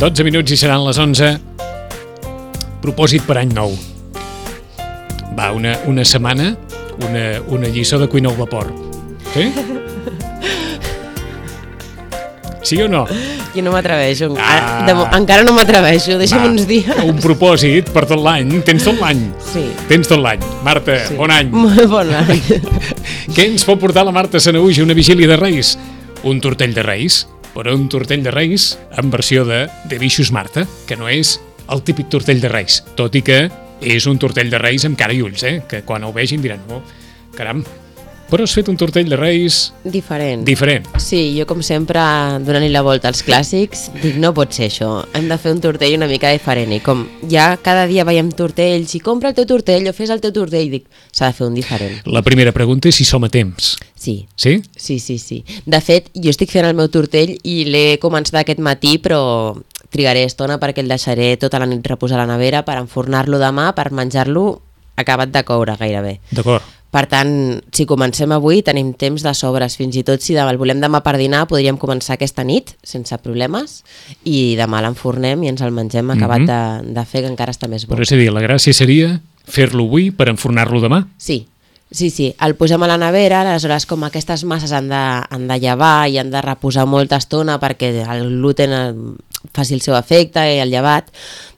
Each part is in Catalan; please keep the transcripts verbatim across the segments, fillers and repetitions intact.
dotze minuts i seran les onze. Propòsit per any nou. Va, una, una setmana, una, una lliçó de cuina al vapor. Sí? Sí o no? Jo no m'atreveixo. Ah. De, encara no m'atreveixo. Deixa'm uns dies. Un propòsit per tot l'any. Tens tot l'any. Sí. Tens tot l'any. Marta, sí. Bon any. Bon any. Què ens pot portar la Marta Sanahuja una vigília de Reis? Un tortell de Reis, però un tortell de Reis en versió de De Bixos Marta, que no és el típic tortell de Reis, tot i que és un tortell de Reis amb cara i ulls, eh? Que quan ho vegin diran, oh, caram, però has fet un tortell de Reis... Diferent. Diferent. Sí, jo com sempre, donant-li la volta als clàssics, dic, no pot ser això, hem de fer un tortell una mica diferent, i com ja cada dia veiem tortells, i compra el teu tortell o fes el teu tortell, dic, s'ha de fer un diferent. La primera pregunta és si som a temps. Sí. Sí? Sí, sí, sí. De fet, jo estic fent el meu tortell i l'he començat aquest matí, però trigaré estona perquè el deixaré tota la nit reposar a la nevera per enfornar-lo demà, per menjar-lo acabat de coure gairebé. D'acord. Per tant, si comencem avui tenim temps de sobres, fins i tot si el volem demà per dinar podríem començar aquesta nit sense problemes i demà l'enfornem i ens el mengem acabat mm-hmm. de, de fer, que encara està més bo. Però és a dir, la gràcia seria fer-lo avui per enfornar-lo demà? Sí. Sí, sí, el posem a la nevera, aleshores com aquestes masses han de, han de llevar i han de reposar molta estona perquè el gluten faci el seu efecte i el llevat,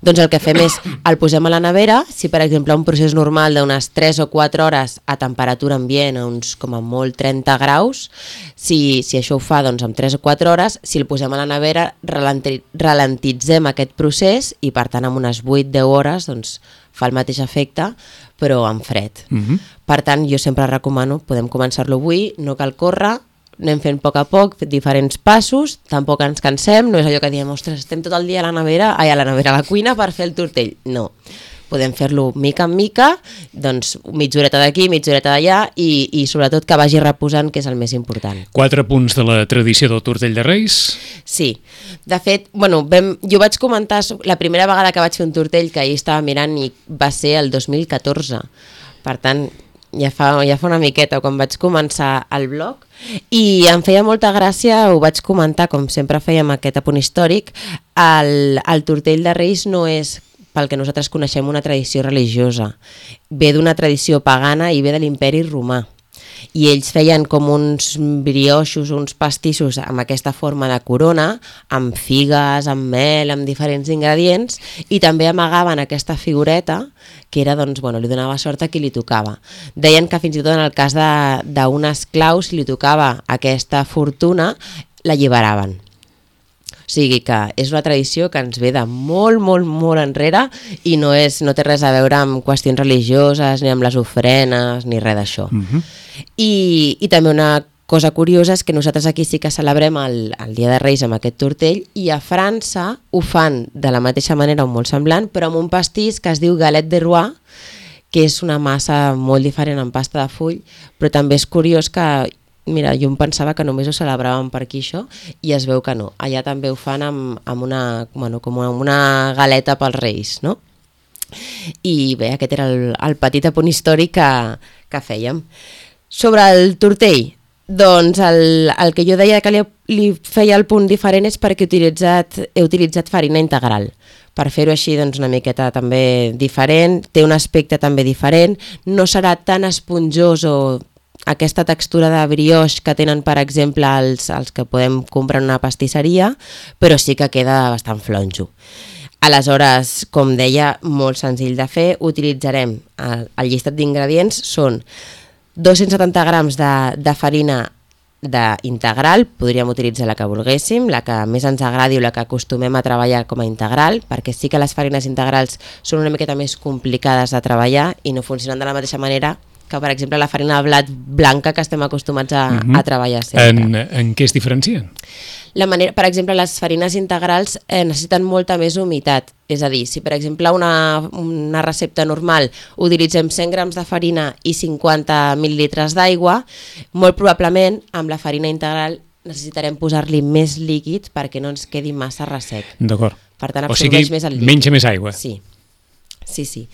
doncs el que fem és el posem a la nevera, si per exemple un procés normal d'unes tres o quatre hores a temperatura ambient, a uns com a molt trenta graus, si, si això ho fa doncs amb tres o quatre hores, si el posem a la nevera ralenti, ralentitzem aquest procés i per tant amb unes vuit a deu hores doncs fa el mateix efecte, però en fred. Uh-huh. Per tant, jo sempre recomano, podem començar-lo avui, no cal córrer, anem fent a poc a poc, diferents passos, tampoc ens cansem, no és allò que diem, ostres, estem tot el dia a la nevera, ai, a la nevera, a la cuina per fer el tortell. No, podem fer-lo mica en mica, doncs mitja horeta d'aquí, mitja horeta d'allà i, i sobretot que vagi reposant, que és el més important. Quatre punts de la tradició del tortell de Reis. Sí, de fet, bueno, vam, jo vaig comentar la primera vegada que vaig fer un tortell que ahir estava mirant i va ser el dos mil catorze, per tant ja fa, ja fa una miqueta quan vaig començar el blog i em feia molta gràcia, ho vaig comentar com sempre fèiem aquest apunt històric, el, el tortell de Reis no és pel que nosaltres coneixem una tradició religiosa, ve d'una tradició pagana i ve de l'imperi romà. I ells feien com uns brioixos, uns pastissos amb aquesta forma de corona, amb figues, amb mel, amb diferents ingredients, i també amagaven aquesta figureta, que era, doncs, bueno, li donava sort a qui li tocava. Deien que fins i tot en el cas d'un esclau, si li tocava aquesta fortuna, l'alliberaven. O sigui que és una tradició que ens ve de molt, molt, molt enrere i no, és, no té res a veure amb qüestions religioses, ni amb les ofrenes, ni res d'això. Uh-huh. I, I també una cosa curiosa és que nosaltres aquí sí que celebrem el, el Dia de Reis amb aquest tortell i a França ho fan de la mateixa manera o molt semblant, però amb un pastís que es diu galette de roi, que és una massa molt diferent en pasta de full, però també és curiós que mira, jo em pensava que només ho celebràvem per aquí això i es veu que no. Allà també ho fan amb, amb, una, bueno, com amb una galeta pels Reis, no? I bé, aquest era el, el petit apunt històric que, que fèiem. Sobre el tortell, doncs el, el que jo deia que li, li feia el punt diferent és perquè he utilitzat, he utilitzat farina integral. Per fer-ho així doncs, una miqueta també diferent, té un aspecte també diferent, no serà tan esponjós o aquesta textura de brioix que tenen, per exemple, els, els que podem comprar en una pastisseria, però sí que queda bastant flonjo. Aleshores, com deia, molt senzill de fer, utilitzarem el, el llistat d'ingredients, són dos-cents setanta grams de, de farina de integral, podríem utilitzar la que volguéssim, la que més ens agradi o la que acostumem a treballar com a integral, perquè sí que les farines integrals són una miqueta més complicades de treballar i no funcionen de la mateixa manera que, per exemple, la farina de blat blanca que estem acostumats a, uh-huh. a treballar sempre. En, en què es diferencien? La manera, per exemple, les farines integrals eh, necessiten molta més humitat. És a dir, si per exemple una, una recepta normal utilitzem cent grams de farina i cinquanta mil·lilitres d'aigua, molt probablement amb la farina integral necessitarem posar-li més líquid perquè no ens quedi massa ressec. D'acord. Per tant, absorbeix més el líquid. Menja més aigua. Sí, sí, sí.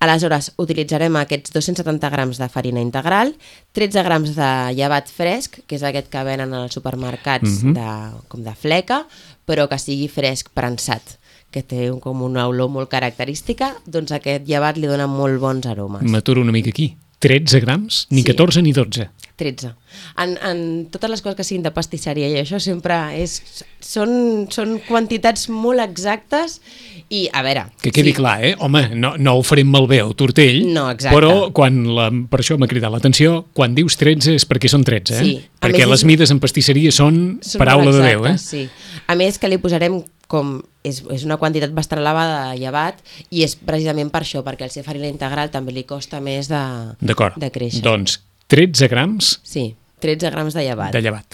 Aleshores, utilitzarem aquests dos-cents setanta grams de farina integral, tretze grams de llevat fresc, que és aquest que venen als supermercats Mhm. de, com de fleca, però que sigui fresc prensat, que té un, com una olor molt característica, doncs aquest llevat li dona molt bons aromes. M'aturo una mica aquí. tretze grams, ni Sí. catorze ni dotze. tretze. En, en totes les coses que siguin de pastisseria i això sempre és, són, són quantitats molt exactes i, a veure... Que quedi sí, clar, eh? Home, no, no ho farem malbé el tortell, No, exacte. però quan la, per això m'ha cridat l'atenció, quan dius tretze és perquè són tretze, eh? Sí. A Perquè més, les és- mides en pastisseria són, són paraula molt de Déu, eh? exactes, Sí. A més que li posarem com... És, és una quantitat bastant elevada de llevat i és precisament per això, perquè al ser farina integral també li costa més de, D'acord. de créixer. Doncs tretze grams Sí, tretze grams de llevat. de llevat.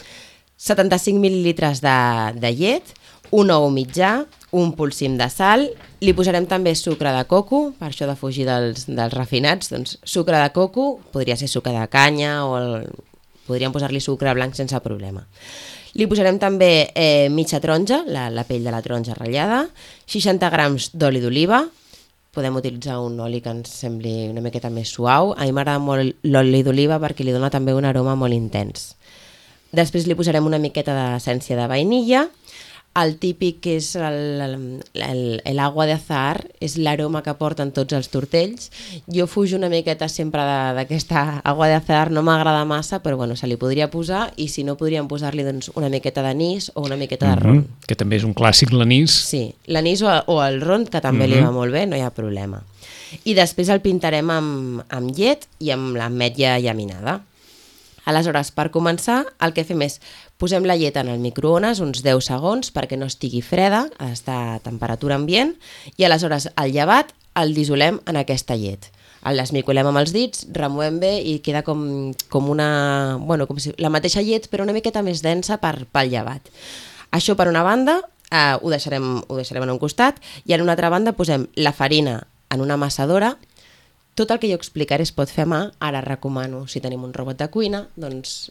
setanta-cinc mil·lilitres de, de llet, un ou mitjà, un polsim de sal, li posarem també sucre de coco, per això de fugir dels, dels refinats, doncs sucre de coco, podria ser sucre de canya o el, podríem posar-li sucre blanc sense problema. Li posarem també eh, mitja taronja, la, la pell de la taronja ratllada, seixanta grams d'oli d'oliva, podem utilitzar un oli que ens sembli una miqueta més suau. A mi m'agrada molt l'oli d'oliva perquè li dona també un aroma molt intens. Després li posarem una miqueta d'essència de vainilla. El típic que és l'agua de azahar, és l'aroma que porten tots els tortells. Jo fujo una miqueta sempre de- d'aquesta agua de azahar, no m'agrada massa, però bueno, se li podria posar i si no podríem posar-li doncs, una miqueta d'anís o una miqueta de ron. Mhm. Que també és un clàssic, l'anís. Sí, l'anís o, o el ron, que també li va molt bé, no hi ha problema. I després el pintarem amb, amb llet i amb l'ametlla llaminada. Aleshores, per començar, el que fem és posem la llet en el microones uns deu segons perquè no estigui freda, ha d'estar a temperatura ambient, i aleshores el llevat el dissolem en aquesta llet. El desmicolem amb els dits, removem bé i queda com, com una... Bueno, com si, la mateixa llet, però una miqueta més densa per, pel llevat. Això per una banda, eh, ho, deixarem, ho deixarem en un costat, i en una altra banda posem la farina en una amassadora. Tot el que jo explicaré es pot fer a mà, ara recomano, si tenim un robot de cuina, doncs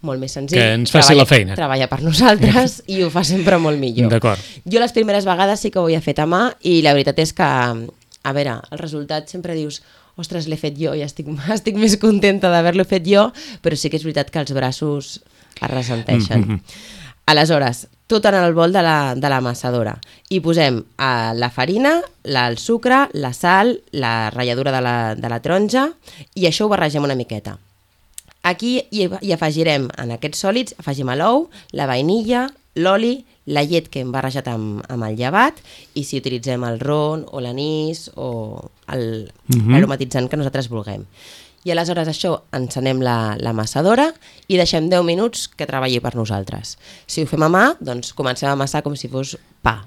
molt més senzill. Que ens faci treballa, la feina. Treballa per nosaltres i ho fa sempre molt millor. D'acord. Jo les primeres vegades sí que ho havia fet a mà i la veritat és que, a veure, el resultat sempre dius ostres, l'he fet jo i estic, estic més contenta d'haver-lo fet jo, però sí que és veritat que els braços es ressenteixen. Mm-hmm. Aleshores, tot en el bol de la, de l'amassadora. I posem eh, la farina, la, el sucre, la sal, la ratlladura de la, de la taronja i això ho barregem una miqueta. Aquí hi, hi afegirem, en aquests sòlids, afegim l'ou, la vainilla, l'oli, la llet que hem barrejat amb, amb el llevat i si utilitzem el ron o l'anís o el, Mhm. l'aromatitzant que nosaltres vulguem. I aleshores això encenem la, la amassadora i deixem deu minuts que treballi per nosaltres. Si ho fem a mà, doncs comencem a amassar com si fos pa.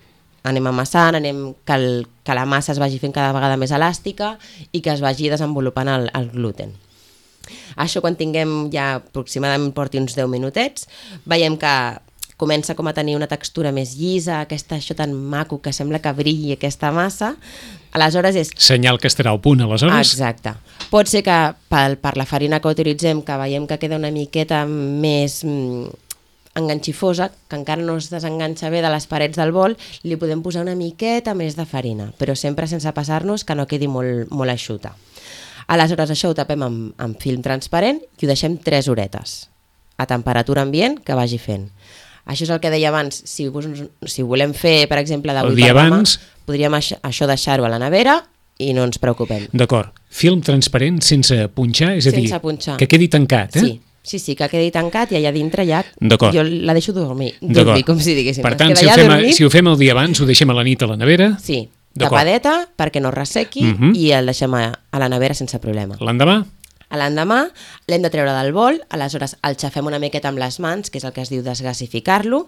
Anem amassant, anem que, el, que la massa es vagi fent cada vegada més elàstica i que es vagi desenvolupant el, el gluten. Això quan tinguem ja aproximadament porti uns deu minutets, veiem que comença com a tenir una textura més llisa, aquesta, això tan maco que sembla que brilli aquesta massa, aleshores és... Senyal que estarà al punt, aleshores. Exacte. Pot ser que per, per la farina que utilitzem, que veiem que queda una miqueta més mm, enganxifosa, que encara no es desenganxa bé de les parets del bol, li podem posar una miqueta més de farina, però sempre sense passar-nos que no quedi molt, molt eixuta. Aleshores això ho tapem amb, amb film transparent i ho deixem tres horetes a temperatura ambient que vagi fent. Això és el que deia abans, si, si volem fer, per exemple, d'avui per demà, abans... podríem això, això deixar-ho a la nevera i no ens preocupem. D'acord. Film transparent sense punxar, és a Sense dir, punxar. que quedi tancat, eh? Sí, sí, sí, que quedi tancat i allà dintre ja D'acord. jo la deixo dormir, dormir com si diguéssim. Per Es tant, queda si ho, allà fem, dormit. si ho fem el dia abans, ho deixem a la nit a la nevera. Sí, tapadeta perquè no ressequi Mhm. i el deixem a, a la nevera sense problema. L'endemà? A l'endemà l'hem de treure del bol, aleshores el xafem una miqueta amb les mans, que és el que es diu desgasificar-lo,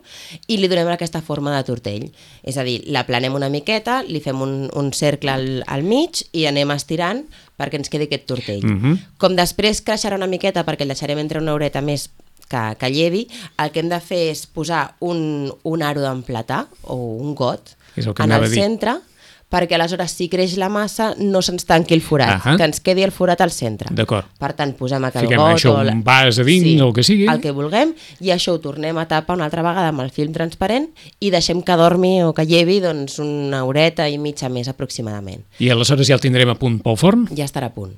i li donem aquesta forma de tortell. És a dir, l'aplanem una miqueta, li fem un, un cercle al, al mig i anem estirant perquè ens quedi aquest tortell. Mhm. Com després creixerà una miqueta perquè el deixarem entre una horeta més que, que llevi, el que hem de fer és posar un, un aro d'emplatà o un got És el que en anava el a dir. centre perquè aleshores si creix la massa no se'ns tanqui el forat, uh -huh. que ens quedi el forat al centre. D'acord. Per tant, posem aquell Fiquem got això, o la... un vas a dins, sí, o el que sigui. el que vulguem, i això ho tornem a tapar una altra vegada amb el film transparent i deixem que dormi o que llevi doncs, una horeta i mitja més aproximadament. I aleshores ja el tindrem a punt pel forn? Ja estarà a punt.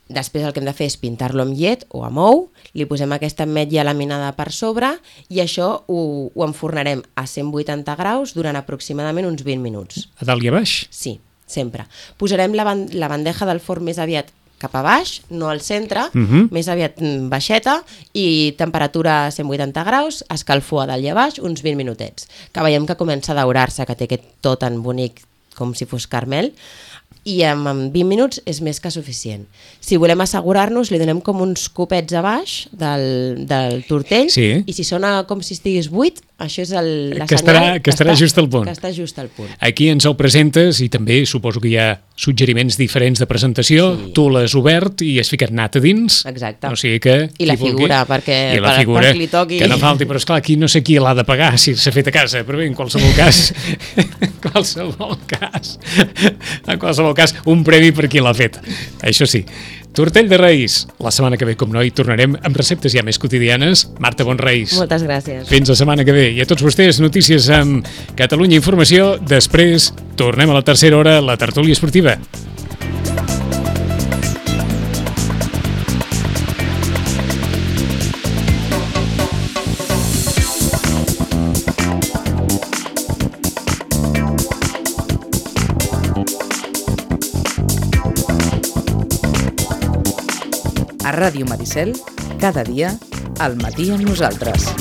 Després el que hem de fer és pintar-lo amb llet o amb ou, li posem aquesta ametlla laminada per sobre i això ho, ho enfornarem a cent vuitanta graus durant aproximadament uns vint minuts. A dalt i a baix? Sí, sempre. Posarem la, ban la bandeja del forn més aviat cap a baix, no al centre, uh -huh. més aviat baixeta i temperatura a cent vuitanta graus, escalfor a dalt i a baix, uns vint minutets. Que veiem que comença a daurar-se, que té aquest to tan bonic com si fos caramel, i en vint minuts és més que suficient. Si volem assegurar-nos, li donem com uns copets a baix del, del tortell, sí. i si sona com si estigués buit, això és el, la que senyal estarà, que estarà està, just al punt. Que està just al punt. Aquí ens el presentes i també suposo que hi ha suggeriments diferents de presentació, sí. Tu l'has obert i has ficat nata dins. Exacte. O sigui que... I la figura, perquè I la per, figura, per li toqui... que no falti, però esclar, aquí no sé qui l'ha de pagar si s'ha fet a casa, però bé, en qualsevol cas, en qualsevol cas, en qualsevol cas, un premi per qui l'ha fet. Això sí. Tortell de Reis. La setmana que ve, com no, hi tornarem amb receptes ja més quotidianes. Marta Bonreis. Moltes gràcies. Fins la setmana que ve. I a tots vostès, notícies amb Catalunya Informació. Després, tornem a la tercera hora, la tertúlia esportiva. A Ràdio Maricel, cada dia, al matí amb nosaltres.